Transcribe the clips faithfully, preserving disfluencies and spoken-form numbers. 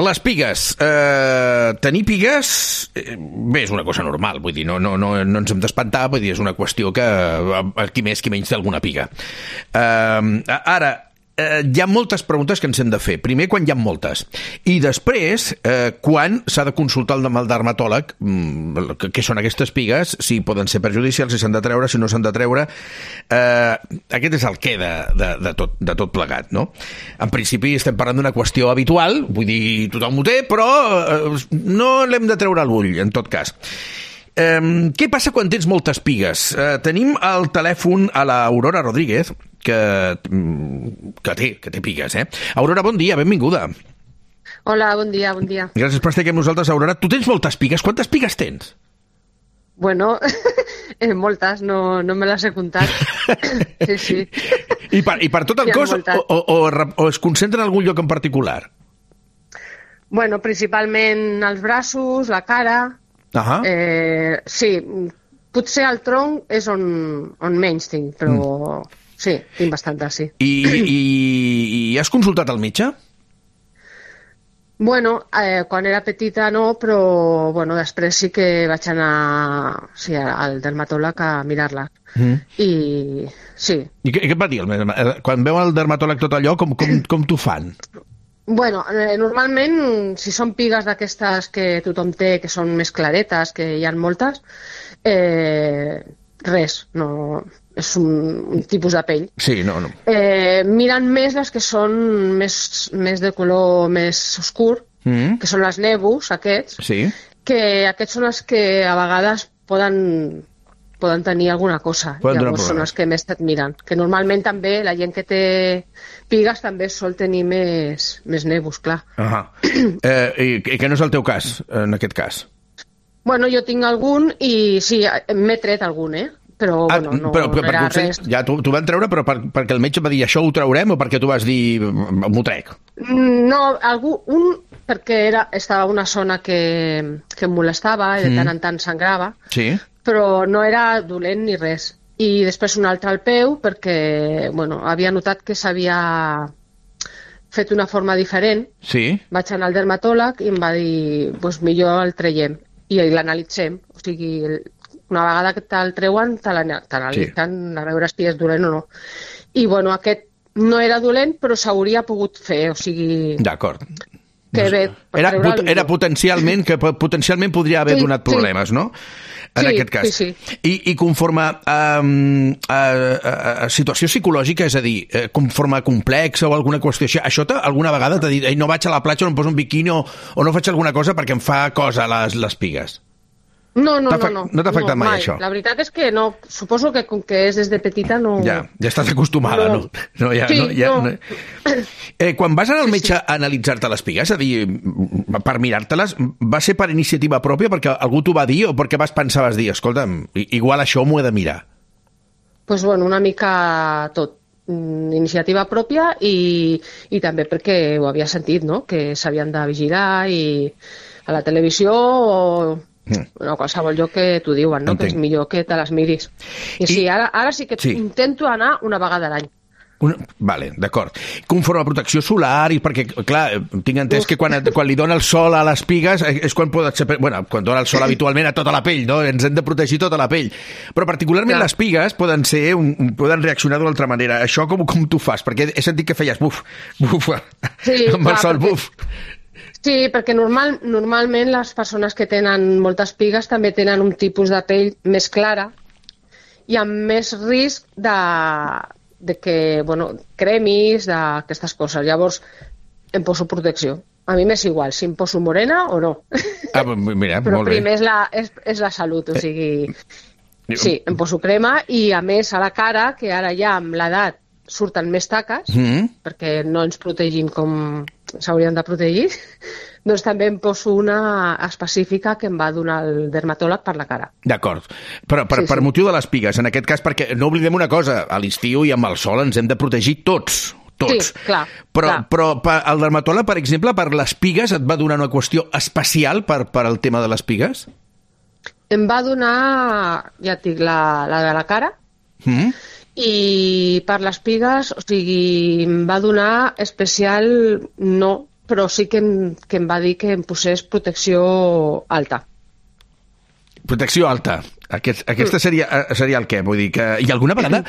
Les pigues. Eh, tenir pigues, eh, bé, és una cosa normal, vull dir, no, no, no, no ens hem d'espantar, vull dir, és una qüestió que eh, qui més, qui menys té alguna piga. Eh, ara, eh, hi ha moltes preguntes que ens hem de fer. Primer, quan hi ha moltes. I després, eh, quan s'ha de consultar amb el dermatòleg mm, què són aquestes pigues, si poden ser perjudicials, si s'han de treure, si no s'han de treure. Eh, aquest és el què de, de, de, tot, de tot plegat, no? En principi estem parlant d'una qüestió habitual, vull dir, tothom ho té, però eh, no l'hem de treure a l'ull, en tot cas. Eh, què passa quan tens moltes pigues? Eh, tenim al telèfon a l'Aurora Rodríguez, que, que, té, que té pigues, eh? Aurora, bon dia, benvinguda. Hola, bon dia, bon dia. Gràcies per estar aquí amb nosaltres, Aurora. Tu tens moltes pigues. Quantes pigues tens? Bueno, eh, moltes, no, no me les he comptat. Sí, sí. I per, i per tot el cos o, o, o, o es concentra en algun lloc en particular? Bueno, principalment els braços, la cara... Uh-huh. Eh, sí, potser el tronc és on, on menys tinc, però mm. sí, tinc bastantes, sí. I, i, i has consultat el metge? Bueno, eh, quan era petita no, però bueno, després sí que vaig anar sí, al dermatòleg a mirar-la. Mm. I sí. I què, què et va dir? Quan veu el dermatòleg tot allò, com, com, com t'ho fan? Bueno, eh, normalment, si són pigues d'aquestes que tothom té, que són més claretes, que hi ha moltes, eh, res, no, és un, un tipus de pell. Sí, no, no. Eh, miren més les que són més, més de color més oscur, mm. que són les nebus, aquests, sí. que aquests són els que a vegades poden... poden tenir alguna cosa, poden llavors són els que més et miren. Que normalment també la gent que té pigues també sol tenir més, més nebus, clar. Uh-huh. eh, i, I que no és el teu cas, en aquest cas? Bueno, jo tinc algun i sí, m'he tret algun, eh? Però, ah, bueno, no, però, però, no era potser, res. Ja, t'ho van treure, però per, perquè el metge va dir això ho traurem o perquè tu vas dir m'ho trec? No, algú, un perquè era, estava una zona que, que em molestava i de tant en tant sangrava. Sí. Però no era dolent ni res. I després un altre al peu perquè bueno, havia notat que s'havia fet una forma diferent. Sí. Vaig anar al dermatòleg i em va dir pues, millor el traiem i l'analitzem. O sigui, una vegada que te'l treuen, te l'analitzen sí. A veure si és dolent o no. I bueno, aquest no era dolent, però s'hauria pogut fer, o sigui... D'acord. Que bé, era, pot, era potencialment que potencialment podria haver sí, donat problemes, sí. No? En sí, aquest cas. Sí, sí. I, i conforme a, a, a, a situació psicològica, és a dir, conforme a complex o alguna qüestió així, això alguna vegada t'ha dit no vaig a la platja, no em poso un biquini o, o no faig alguna cosa perquè em fa cosa les, les pigues? No, no, no, no. No t'ha afectat no, mai, mai, això? La veritat és que no. Suposo que com que és des de petita no... Ja, ja estàs acostumada, no? no? no, ja, sí, no, ja no. no. Eh, quan vas anar al metge a analitzar-te les pigues, és a dir, per mirar-te-les, va ser per iniciativa pròpia, perquè algú t'ho va dir o perquè vas pensar, vas dir, escolta'm, igual això m'ho he de mirar? Doncs, pues, bueno, una mica tot. Iniciativa pròpia i, i també perquè ho havia sentit, no? Que s'havien de vigilar i a la televisió o... Bueno, qualsevol lloc que t'ho diuen, no? Entenc. Que és millor que te les miris. I, I sí, ara, ara sí que sí. Intento anar una vegada a l'any. Una... Vale, d'acord. Conforme a protecció solar, i perquè, clar, tinc entès Uf. que quan, quan li dona el sol a les pigues és quan pot ser... Bueno, quan dona el sol habitualment a tota la pell, no? Ens hem de protegir tota la pell. Però particularment clar. Les pigues poden ser un, poden reaccionar d'una altra manera. Això com, com tu fas? Perquè he sentit que feies buf, buf, sí, amb clar, el sol, perquè... buf. Sí, perquè normal, normalment les persones que tenen moltes pigues també tenen un tipus de pell més clara i amb més risc de, de que, bueno, cremis, d'aquestes coses. Llavors, em poso protecció. A mi m'és igual si em poso morena o no. Ah, mira, però molt bé. primer és la, és, és la salut, o sigui... Sí, em poso crema i, a més, a la cara, que ara ja amb l'edat surten més taques, mm. perquè no ens protegim com s'haurien de protegir, doncs també em poso una específica que em va donar el dermatòleg per la cara. D'acord. Però per, sí, per sí. motiu de les pigues, en aquest cas, perquè no oblidem una cosa, a l'estiu i amb el sol ens hem de protegir tots. Tots. Sí, clar. Però, clar. però el dermatòleg, per exemple, per les pigues, et va donar una qüestió especial per, per al tema de les pigues? Em va donar, ja et dic, la, la de la cara, mm. i per les pigues, o sigui, em va donar especial no, però sí que em, que em va dir que em posés protecció alta. Protecció alta. Aquest, aquesta seria, seria el què? Vull dir que... I alguna vegada...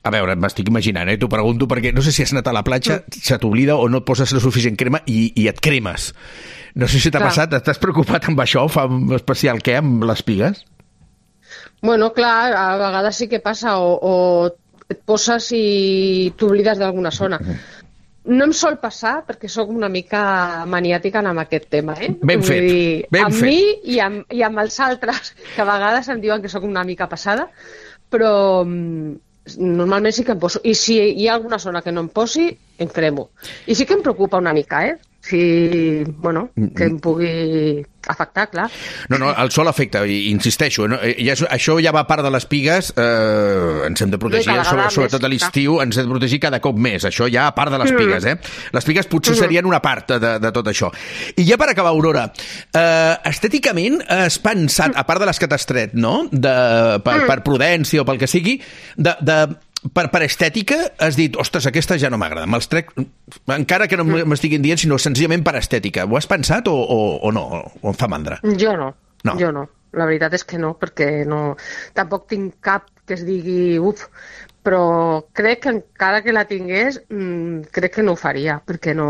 A veure, m'estic imaginant, eh? T'ho pregunto perquè no sé si has anat a la platja, se t'oblida o no et poses la suficient crema i, i et cremes. No sé si t'ha Clar. passat, estàs preocupat amb això? Fa un especial què amb les pigues? Bueno, clar, a vegades sí que passa, o, o et poses i t'oblides d'alguna zona. No em sol passar, perquè sóc una mica maniàtica amb aquest tema, eh? Ben fet, Vull dir, ben amb fet. mi i amb, i amb els altres, que a vegades em diuen que sóc una mica passada, però mm, normalment sí que em poso. I si hi ha alguna zona que no em posi, em cremo. I sí que em preocupa una mica, eh? Si, bueno, que em pugui afectar, clar. No, no, el sol afecta, i insisteixo, no? Ja, és- això ja va a part de les pigues, eh, ens hem de protegir, Cada sobre, vegada sobretot més, a l'estiu, ens hem de protegir cada cop més, això ja a part de les pigues, eh? Les pigues potser serien una part de, de tot això. I ja per acabar, Aurora, eh, estèticament has pensat, a part de les que t'has tret, no?, de, per, per prudència o pel que sigui, de, de per, per estètica has dit, ostres, aquesta ja no m'agrada, me'ls trec, encara que no m'estiguin dient, sinó senzillament per estètica. Ho has pensat o, o, o no? O em fa mandra? Jo no, No. jo no. La veritat és que no, perquè no... Tampoc tinc cap que es digui uf, però crec que encara que la tingués, mmm, crec que no ho faria, perquè no...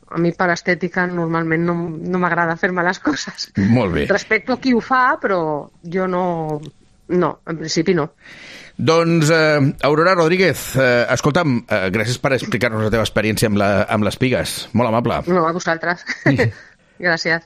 A mi per estètica normalment no, no m'agrada fer-me les coses. Molt bé. Respecto a qui ho fa, però jo no... No, en principi no. Doncs, eh, Aurora Rodríguez, eh, escolta'm, eh, gràcies per explicar-nos la teva experiència amb, la, amb les pigues. Molt amable. No, a vosaltres. Gràcies.